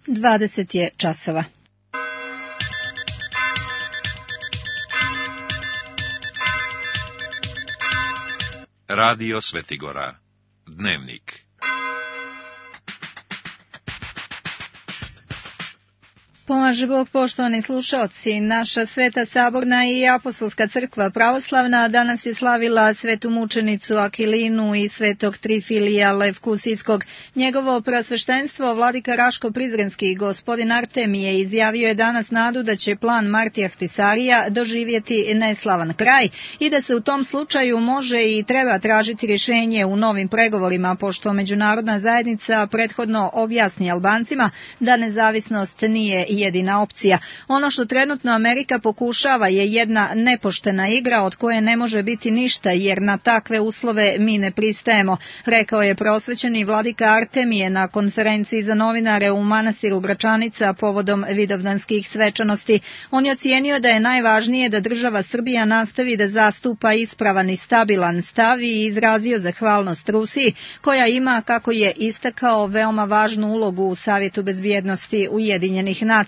20 je časova. Radio Svetigora. Dnevnik. Pomaže Bog, poštovani slušaoci. Naša Sveta Saborna i Apostolska crkva pravoslavna danas je slavila svetu mučenicu Akilinu i svetog Trifilija Levkusijskog. Njegovo preosveštenstvo vladika Raško-Prizrenski gospodin Artemije izjavio je danas nadu da će plan Martija Ahtisarija doživjeti neslavan kraj i da se u tom slučaju može i treba tražiti rješenje u novim pregovorima, pošto međunarodna zajednica prethodno objasni Albancima da nezavisnost nije jedina opcija. Ono što trenutno Amerika pokušava je jedna nepoštena igra od koje ne može biti ništa, jer na takve uslove mi ne pristajemo, rekao je preosvećeni vladika Artemije na konferenciji za novinare u manastiru Gračanica povodom vidovdanskih svečanosti. On je ocijenio da je najvažnije da država Srbija nastavi da zastupa ispravan i stabilan stav i izrazio zahvalnost Rusiji, koja ima, kako je istakao, veoma važnu ulogu u Savjetu bezbjednosti Ujedinjenih nacija.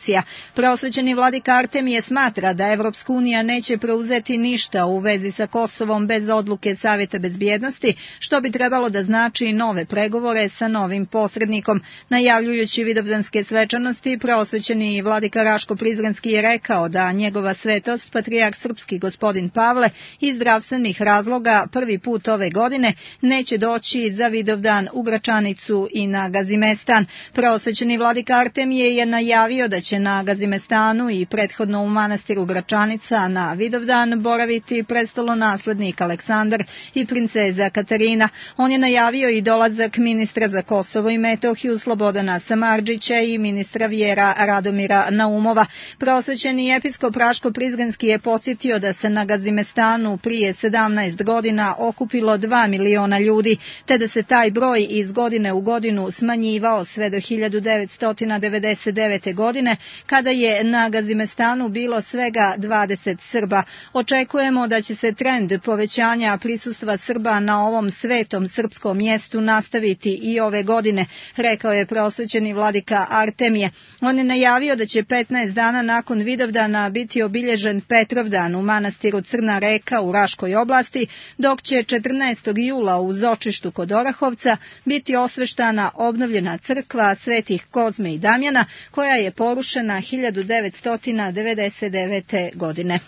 Preosvećeni vladika Artemije smatra da Evropska unija neće preuzeti ništa u vezi sa Kosovom bez odluke Savjeta bezbjednosti, što bi trebalo da znači nove pregovore sa novim posrednikom. Najavljujući vidovdanske svečanosti, preosvećeni vladika Raško-Prizrenski je rekao da njegova svetost, patrijarh srpski gospodin Pavle, iz zdravstvenih razloga prvi put ove godine neće doći za Vidovdan u Gračanicu i na Gazimestan. Preosvećeni vladika Artemije je najavio da će na Gazimestanu i prethodno u manastiru Gračanica na Vidovdan boraviti prestolonaslednik Aleksandar i princeza Katarina. On je najavio i dolazak ministra za Kosovo i Metohiju Slobodana Samardžića i ministra vjera Radomira Naumova. Preosvećeni episkop Raško-Prizrenski je podsjetio da se na Gazimestanu prije 17 godina okupilo 2 miliona ljudi, te da se taj broj iz godine u godinu smanjivao sve do 1999. godine, kada je na Gazimestanu bilo svega 20 Srba. Očekujemo da će se trend povećanja prisustva Srba na ovom svetom srpskom mjestu nastaviti i ove godine, rekao je preosvećeni vladika Artemije. On je najavio da će 15 dana nakon Vidovdana biti obilježen Petrovdan u manastiru Crna Reka u Raškoj oblasti, dok će 14. jula u Zočištu kod Orahovca biti osveštana obnovljena crkva svetih Kozme i Damjana, koja je porušena 1999. godine.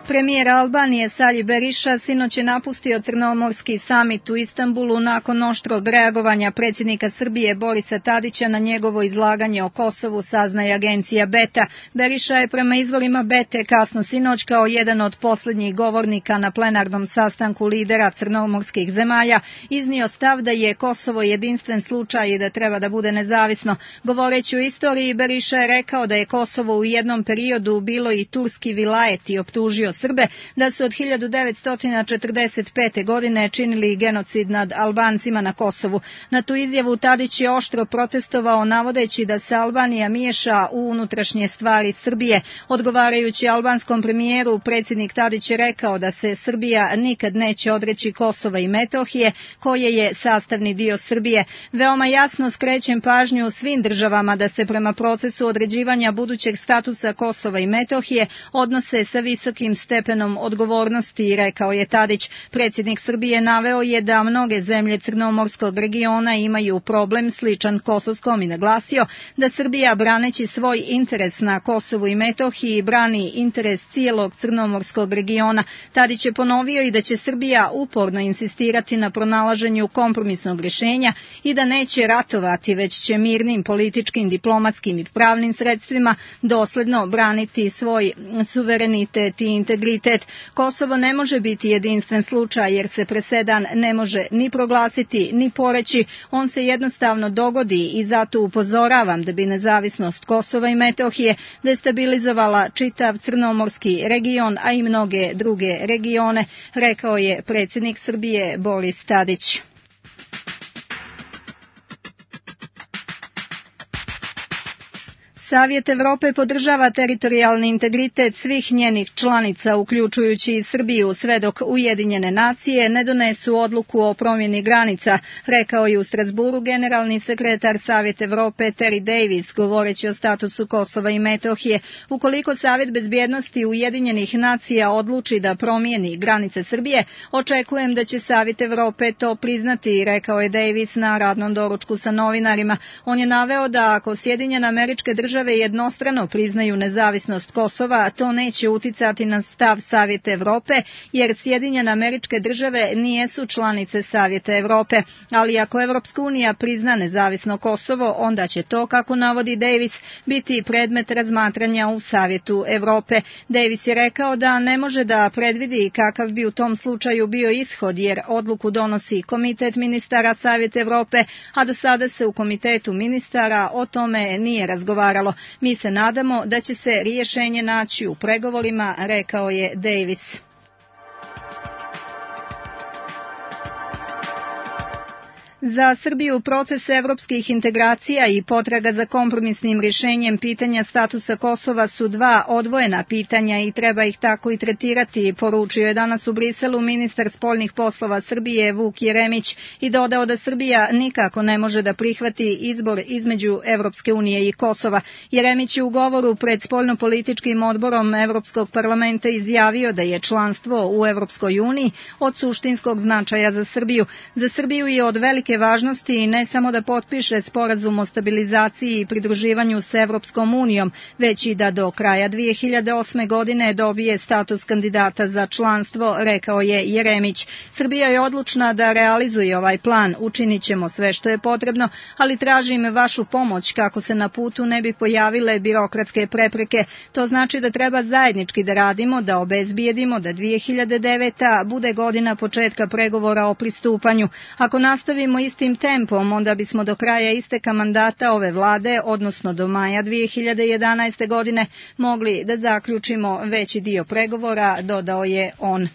Premijer Albanije Sali Berisha sinoć je napustio Crnomorski samit u Istanbulu nakon oštrog reagovanja predsjednika Srbije Borisa Tadića na njegovo izlaganje o Kosovu, saznaje agencija Beta. Berisha je prema izvorima Bete kasno sinoć kao jedan od posljednjih govornika na plenarnom sastanku lidera crnomorskih zemalja iznio stav da je Kosovo jedinstven slučaj i da treba da bude nezavisno. Govoreći o istoriji, Berisha je rekao da je Kosovo u jednom periodu bilo i turski vilajet i optužio Srbe da su od 1945. godine činili genocid nad Albancima na Kosovu. Na tu izjavu Tadić je oštro protestovao navodeći da se Albanija miješa u unutrašnje stvari Srbije. Odgovarajući albanskom premijeru, predsjednik Tadić je rekao da se Srbija nikad neće odreći Kosova i Metohije, koje je sastavni dio Srbije. Veoma jasno skrećem pažnju svim državama da se prema procesu određivanja budućeg statusa Kosova i Metohije odnose sa visokim stepenom odgovornosti, rekao je Tadić. Predsjednik Srbije naveo je da mnoge zemlje Crnomorskog regiona imaju problem sličan kosovskom i naglasio da Srbija, braneći svoj interes na Kosovu i Metohiji, brani interes cijelog Crnomorskog regiona. Tadić je ponovio i da će Srbija uporno insistirati na pronalaženju kompromisnog rješenja i da neće ratovati, već će mirnim političkim, diplomatskim i pravnim sredstvima dosljedno braniti svoj suverenitet i integritet. Kosovo ne može biti jedinstven slučaj jer se presedan ne može ni proglasiti ni poreći, on se jednostavno dogodi i zato upozoravam da bi nezavisnost Kosova i Metohije destabilizovala čitav Crnomorski region, a i mnoge druge regione, rekao je predsjednik Srbije Boris Tadić. Savjet Evrope podržava teritorijalni integritet svih njenih članica, uključujući i Srbiju, sve dok Ujedinjene nacije ne donesu odluku o promjeni granica, rekao je u Strasburu generalni sekretar Savjeta Evrope Terry Davis, govoreći o statusu Kosova i Metohije. Ukoliko Savjet bezbjednosti Ujedinjenih nacija odluči da promijeni granice Srbije, očekujem da će Savjet Evrope to priznati, rekao je Davis na radnom doručku sa novinarima. On je naveo da ako Sjedinjene Američke Države jednostrano priznaju nezavisnost Kosova, to neće uticati na stav Savjeta Evrope, jer Sjedinjene Američke Države nijesu članice Savjeta Evrope, ali ako Evropska unija prizna nezavisno Kosovo, onda će to, kako navodi Davis, biti predmet razmatranja u Savjetu Evrope. Davis je rekao da ne može da predvidi kakav bi u tom slučaju bio ishod, jer odluku donosi Komitet ministara Savjeta Evrope, a do sada se u Komitetu ministara o tome nije razgovaralo. Mi se nadamo da će se rješenje naći u pregovorima, rekao je Davis. Za Srbiju proces evropskih integracija i potraga za kompromisnim rješenjem pitanja statusa Kosova su dva odvojena pitanja i treba ih tako i tretirati, poručio je danas u Briselu ministar spoljnih poslova Srbije Vuk Jeremić i dodao da Srbija nikako ne može da prihvati izbor između Evropske unije i Kosova. Jeremić je u govoru pred spoljnopolitičkim odborom Evropskog parlamenta izjavio da je članstvo u Evropskoj uniji od suštinskog značaja za Srbiju. Za Srbiju je od velike važnosti i ne samo da potpiše sporazum o stabilizaciji i pridruživanju s Evropskom unijom, već i da do kraja 2008. godine dobije status kandidata za članstvo, rekao je Jeremić. Srbija je odlučna da realizuje ovaj plan, učinit ćemo sve što je potrebno, ali tražim vašu pomoć kako se na putu ne bi pojavile birokratske prepreke. To znači da treba zajednički da radimo, da obezbijedimo da 2009. bude godina početka pregovora o pristupanju. Ako nastavimo istim tempom, onda bismo do kraja isteka mandata ove vlade, odnosno do maja 2011. godine, mogli da zaključimo veći dio pregovora, dodao je on.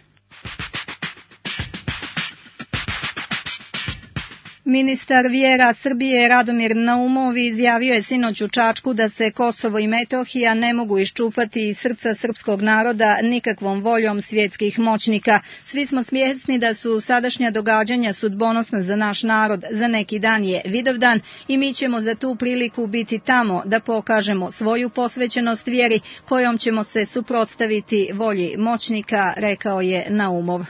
Ministar vjera Srbije Radomir Naumov izjavio je sinoć u Čačku da se Kosovo i Metohija ne mogu iščupati iz srca srpskog naroda nikakvom voljom svjetskih moćnika. Svi smo svjesni da su sadašnja događanja sudbonosna za naš narod, za neki dan je Vidovdan i mi ćemo za tu priliku biti tamo da pokažemo svoju posvećenost vjeri kojom ćemo se suprotstaviti volji moćnika, rekao je Naumov.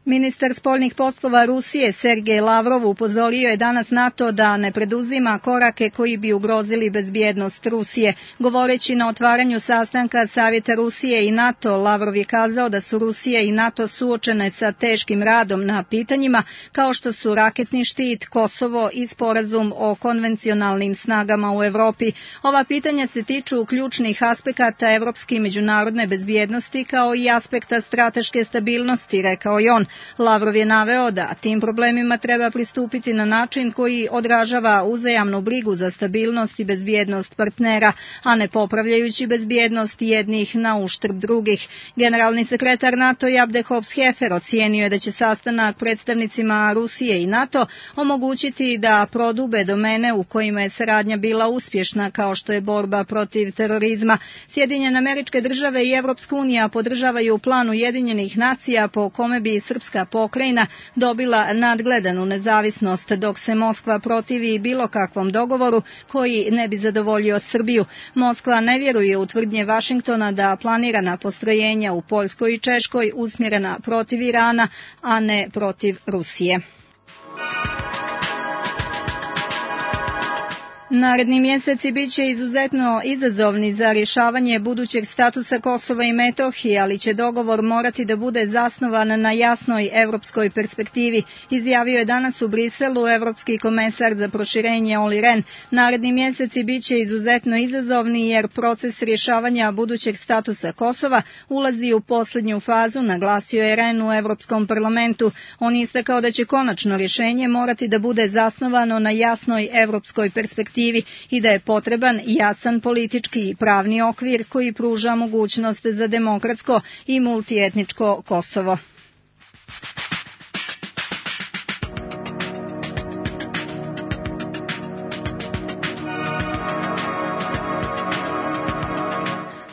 Ministar spoljnih poslova Rusije Sergej Lavrov upozorio je danas na to da ne preduzima korake koji bi ugrozili bezbjednost Rusije. Govoreći na otvaranju sastanka Savjeta Rusije i NATO, Lavrov je kazao da su Rusija i NATO suočene sa teškim radom na pitanjima kao što su raketni štit, Kosovo i sporazum o konvencionalnim snagama u Evropi. Ova pitanja se tiču ključnih aspekata evropske i međunarodne bezbjednosti kao i aspekta strateške stabilnosti, rekao je on. Lavrov je naveo da tim problemima treba pristupiti na način koji odražava uzajamnu brigu za stabilnost i bezbjednost partnera, a ne popravljajući bezbjednost jednih na uštrb drugih. Generalni sekretar NATO Abdehov Hefer ocijenio je da će sastanak predstavnicima Rusije i NATO omogućiti da prodube domene u kojima je saradnja bila uspješna, kao što je borba protiv terorizma. Sjedinjene Američke Države i Evropska unija podržavaju plan Ujedinjenih nacija po kome bi srpska pokrajina dobila nadgledanu nezavisnost, dok se Moskva protivi bilo kakvom dogovoru koji ne bi zadovoljio Srbiju. Moskva ne vjeruje u tvrdnje Vašingtona da planirana postrojenja u Poljskoj i Češkoj usmjerena protiv Irana, a ne protiv Rusije. Naredni mjeseci biće izuzetno izazovni za rješavanje budućeg statusa Kosova i Metohije, ali će dogovor morati da bude zasnovan na jasnoj evropskoj perspektivi, izjavio je danas u Briselu evropski komesar za proširenje Olli Rehn. Naredni mjeseci biće izuzetno izazovni jer proces rješavanja budućeg statusa Kosova ulazi u posljednju fazu, naglasio je Rehn u Evropskom parlamentu. On je istakao da će konačno rješenje morati da bude zasnovano na jasnoj evropskoj perspektivi i da je potreban jasan politički i pravni okvir koji pruža mogućnost za demokratsko i multietničko Kosovo.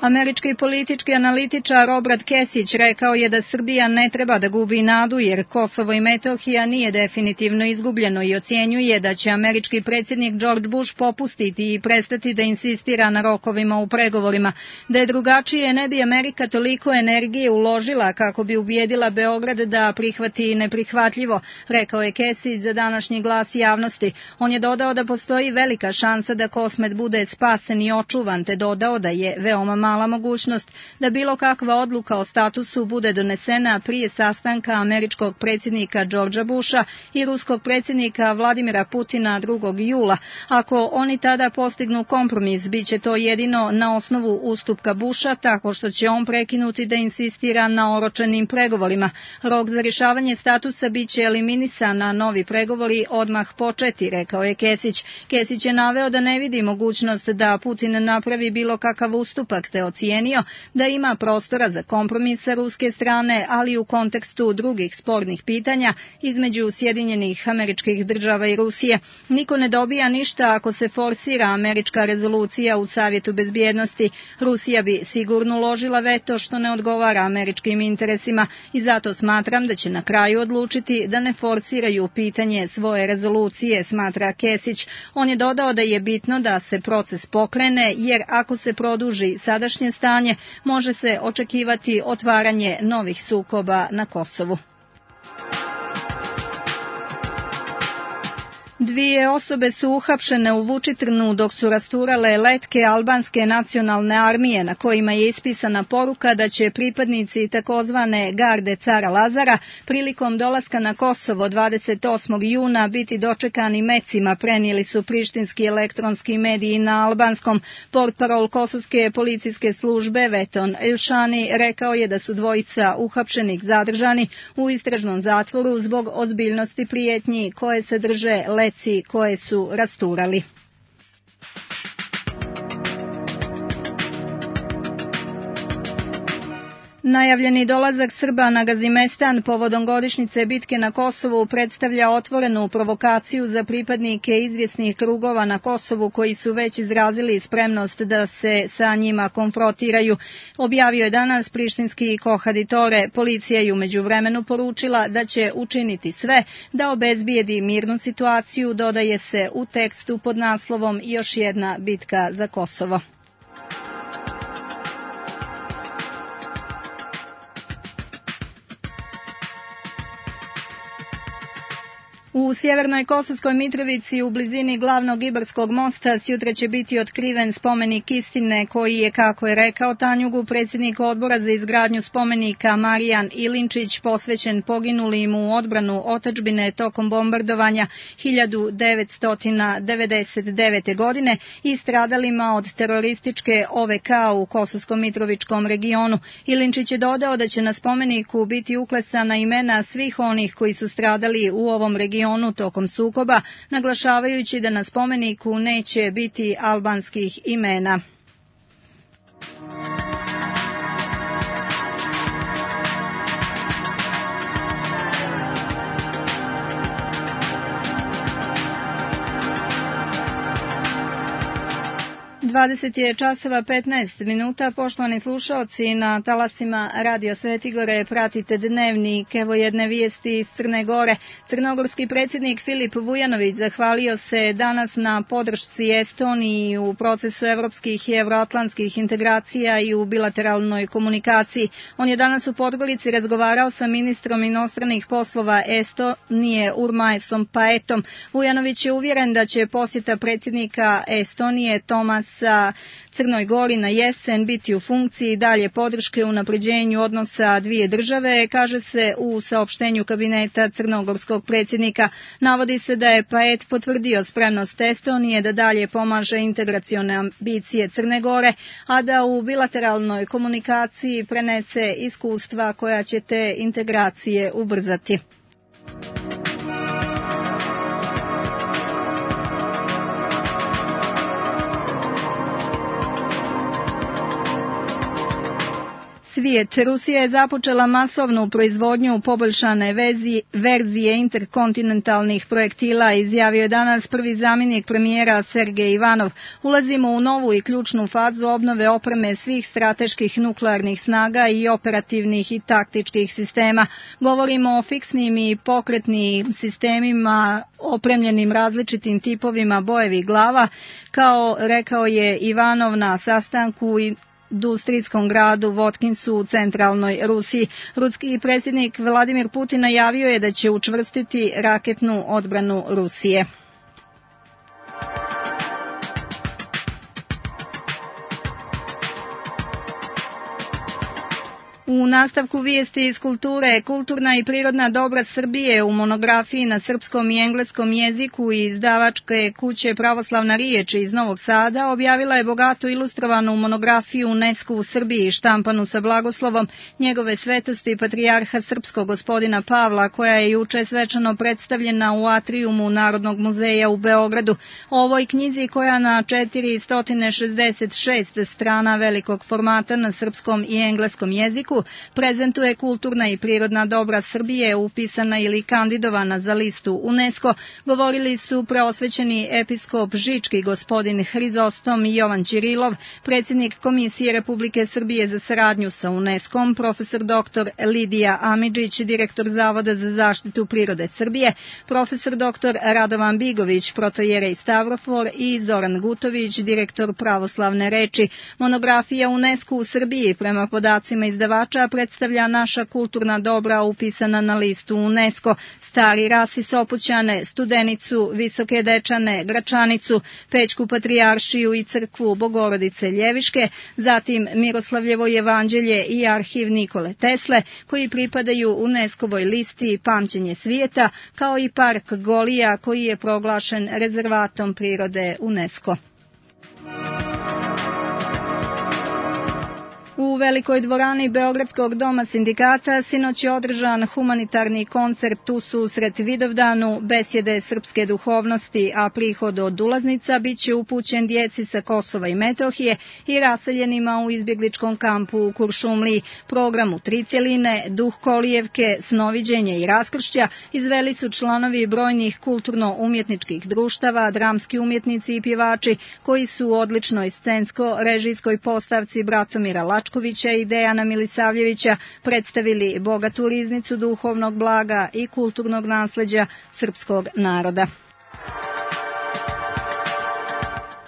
Američki politički analitičar Robert Kesić rekao je da Srbija ne treba da gubi nadu jer Kosovo i Metohija nije definitivno izgubljeno i ocjenjuje da će američki predsjednik George Bush popustiti i prestati da insistira na rokovima u pregovorima. Da je drugačije ne bi Amerika toliko energije uložila kako bi ubijedila Beograd da prihvati neprihvatljivo, rekao je Kesić za današnji Glas javnosti. On je dodao da postoji velika šansa da Kosmet bude spasen i očuvan, te dodao da je veoma mala mogućnost da bilo kakva odluka o statusu bude donesena prije sastanka američkog predsjednika Georgea Busha i ruskog predsjednika Vladimira Putina 2. jula. Ako oni tada postignu kompromis, bit će to jedino na osnovu ustupka Busha, tako što će on prekinuti da insistira na oročenim pregovorima. Rok za rješavanje statusa bit će eliminisan, a novi pregovori odmah početi, rekao je Kesić. Kesić je naveo da ne vidi mogućnost da Putin napravi bilo kakav ustupak, te ocijenio da ima prostora za kompromis sa ruske strane, ali u kontekstu drugih spornih pitanja između Sjedinjenih Američkih Država i Rusije. Niko ne dobija ništa ako se forsira američka rezolucija u Savjetu bezbjednosti. Rusija bi sigurno uložila veto što ne odgovara američkim interesima i zato smatram da će na kraju odlučiti da ne forsiraju pitanje svoje rezolucije, smatra Kesić. On je dodao da je bitno da se proces pokrene jer ako se produži sadašnje stanje, može se očekivati otvaranje novih sukoba na Kosovu. 2 osobe su uhapšene u Vučitrnu dok su rasturale letke albanske nacionalne armije na kojima je ispisana poruka da će pripadnici takozvane garde cara Lazara prilikom dolaska na Kosovo 28. juna biti dočekani mecima, prenijeli su prištinski elektronski mediji na albanskom. Portparol kosovske policijske službe Veton Ilšani rekao je da su dvojica uhapšenih zadržani u istražnom zatvoru zbog ozbiljnosti prijetnji koje sadrže leci koje su rasturali. Najavljeni dolazak Srba na Gazimestan povodom godišnjice bitke na Kosovu predstavlja otvorenu provokaciju za pripadnike izvjesnih krugova na Kosovu koji su već izrazili spremnost da se sa njima konfrontiraju. Objavio je danas prištinski Kohaditore. Policija je u međuvremenu poručila da će učiniti sve da obezbijedi mirnu situaciju, dodaje se u tekstu pod naslovom Još jedna bitka za Kosovo. U sjevernoj Kosovskoj Mitrovici u blizini glavnog Ibarskog mosta sjutra će biti otkriven spomenik istine koji je, kako je rekao Tanjugu, predsjednik odbora za izgradnju spomenika Marijan Ilinčić, posvećen poginulim u odbranu otadžbine tokom bombardovanja 1999. godine i stradalima od terorističke OVK u Kosovsko-Mitrovičkom regionu. Ilinčić je dodao da će na spomeniku biti uklesana imena svih onih koji su stradali u ovom regionu tokom sukoba, naglašavajući da na spomeniku neće biti albanskih imena. časova 15 minuta, poštovani slušalci, na talasima Radio Svetigore pratite Dnevnik. Evo jedne vijesti iz Crne Gore. Crnogorski predsjednik Filip Vujanović zahvalio se danas na podršci Estoniji u procesu evropskih i evroatlantskih integracija i u bilateralnoj komunikaciji. On je danas u Podgorici razgovarao sa ministrom inostranih poslova Estonije Urmaisom Paetom. Vujanović je uvjeren da će posjeta predsjednika Estonije Tomasa Crnoj Gori na jesen biti u funkciji dalje podrške unapređenju odnosa dvije države, kaže se u saopštenju kabineta crnogorskog predsjednika. Navodi se da je Paet potvrdio spremnost Estonije da dalje pomaže integracione ambicije Crne Gore, a da u bilateralnoj komunikaciji prenese iskustva koja će te integracije ubrzati. Svi Svijet. Rusija je započela masovnu proizvodnju poboljšane verzije interkontinentalnih projektila, izjavio je danas prvi zamjenik premijera Sergej Ivanov. Ulazimo u novu i ključnu fazu obnove opreme svih strateških nuklearnih snaga i operativnih i taktičkih sistema. Govorimo o fiksnim i pokretnim sistemima opremljenim različitim tipovima bojevih glava, kao rekao je Ivanov na sastanku u industrijskom gradu Votkinsu u centralnoj Rusiji. Ruski predsjednik Vladimir Putin najavio je da će učvrstiti raketnu odbranu Rusije. U nastavku vijesti iz kulture, kulturna i prirodna dobra Srbije u monografiji na srpskom i engleskom jeziku i izdavačke kuće Pravoslavna riječ iz Novog Sada objavila je bogatu ilustrovanu monografiju UNESCO u Srbiji, štampanu sa blagoslovom njegove svetosti patrijarha srpskog gospodina Pavla, koja je juče svečano predstavljena u atrijumu Narodnog muzeja u Beogradu. O ovoj knjizi, koja na 466 strana velikog formata na srpskom i engleskom jeziku prezentuje kulturna i prirodna dobra Srbije upisana ili kandidovana za listu UNESCO, govorili su preosvećeni episkop Žički gospodin Hrizostom Jovan Ćirilov, predsjednik Komisije Republike Srbije za saradnju sa UNESCO-om, profesor dr. Lidija Amidžić, direktor Zavoda za zaštitu prirode Srbije, profesor dr. Radovan Bigović, protojerej Stavrofor i Zoran Gutović, direktor Pravoslavne reči. Monografija UNESCO u Srbiji, prema podacima izdavača, predstavlja naša kulturna dobra upisana na listu UNESCO, Stari Ras i Sopoćane, Studenicu, Visoke Dečane, Gračanicu, Pećku patrijaršiju i crkvu Bogorodice Ljeviške, zatim Miroslavljevo evanđelje i arhiv Nikole Tesle, koji pripadaju UNESCO-voj listi Pamćenje svijeta, kao i park Golija, koji je proglašen rezervatom prirode UNESCO. U velikoj dvorani Beogradskog doma sindikata sinoć je održan humanitarni koncert u susret Vidovdanu, besjede srpske duhovnosti, a prihod od ulaznica biće upućen djeci sa Kosova i Metohije i raseljenima u izbjegličkom kampu u Kuršumliji. Program u 3 cjeline, duh kolijevke, snoviđenje i raskršća izveli su članovi brojnih kulturno-umjetničkih društava, dramski umjetnici i pjevači, koji su u odličnoj scensko-režijskoj postavci Bratomira Lačkovića i Dejana Milisavljevića predstavili bogatu riznicu duhovnog blaga i kulturnog nasljeđa srpskog naroda.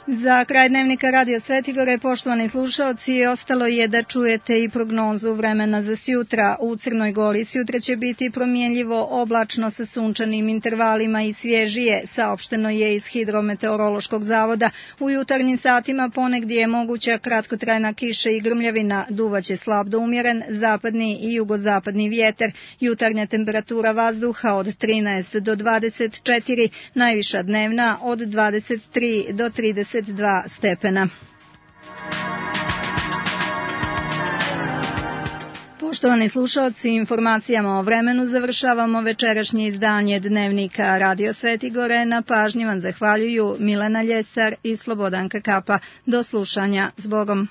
Za kraj dnevnika Radio Svetigore, poštovani slušaoci, ostalo je da čujete i prognozu vremena za sjutra. U Crnoj Gori sjutra će biti promjenljivo oblačno sa sunčanim intervalima i svježije, saopšteno je iz Hidrometeorološkog zavoda. U jutarnjim satima ponegdje je moguća kratkotrajna kiša i grmljavina, duvaće slab do umjeren zapadni i jugozapadni vjetar. Jutarnja temperatura vazduha od 13 do 24, najviša dnevna od 23 do 32 stepena. Poštovani slušalci, informacijama o vremenu završavamo večerašnje izdanje dnevnika Radio Svetigore. Na pažnji vam zahvaljuju Milena Ljesar i Slobodanka Kapa. Do slušanja, s Bogom.